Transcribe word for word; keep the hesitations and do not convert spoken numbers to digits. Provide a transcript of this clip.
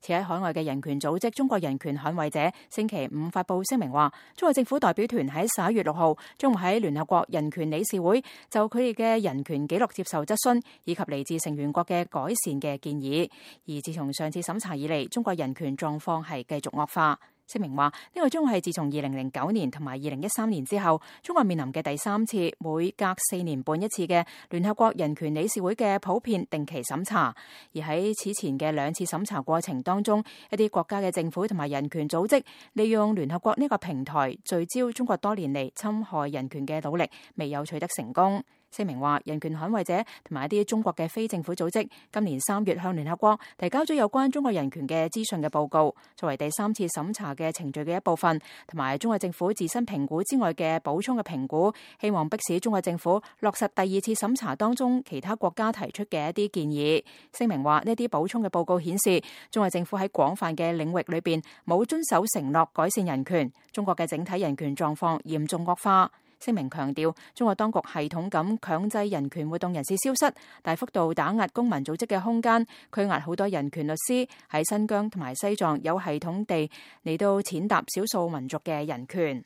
持喺海外嘅人權組織中國人權捍衛者星期五發布聲明話，中國政府代表團喺十一月六號將會喺聯合國人權理事會就佢哋嘅人權紀錄接受質詢，以及嚟自成員國嘅改善嘅建議。而自從上次審查以嚟，中國人權狀況係繼續惡化。聲明話，呢個將會係自從二零零九年同埋二零一三年之後，中國面臨嘅第三次每隔四年半一次嘅聯合國人權理事會嘅普遍定期審查。而喺此前嘅兩次審查過程當中，一啲國家嘅政府同埋人權組織利用聯合國呢個平台聚焦中國多年嚟侵害人權嘅努力，未有取得成功。聲明話，人權捍衛者同埋一啲中國嘅非政府組織今年三月向聯合國提交咗有關中國人權嘅資訊嘅報告，作為第三次審查嘅程序嘅一部分，同埋中國政府自身評估之外嘅補充嘅評估，希望迫使中國政府落實第二次審查當中其他國家提出嘅一啲建議。聲明話，呢啲補充嘅報告顯示，中國政府喺廣泛嘅領域裏邊冇遵守承諾改善人權，中國嘅整體人權狀況嚴重惡化。聲明強調，中國當局系統咁強制人權活動人士消失，大幅度打壓公民組織嘅空間，拘押好多人權律師，喺新疆同埋西藏有系統地嚟到踐踏少數民族嘅人權。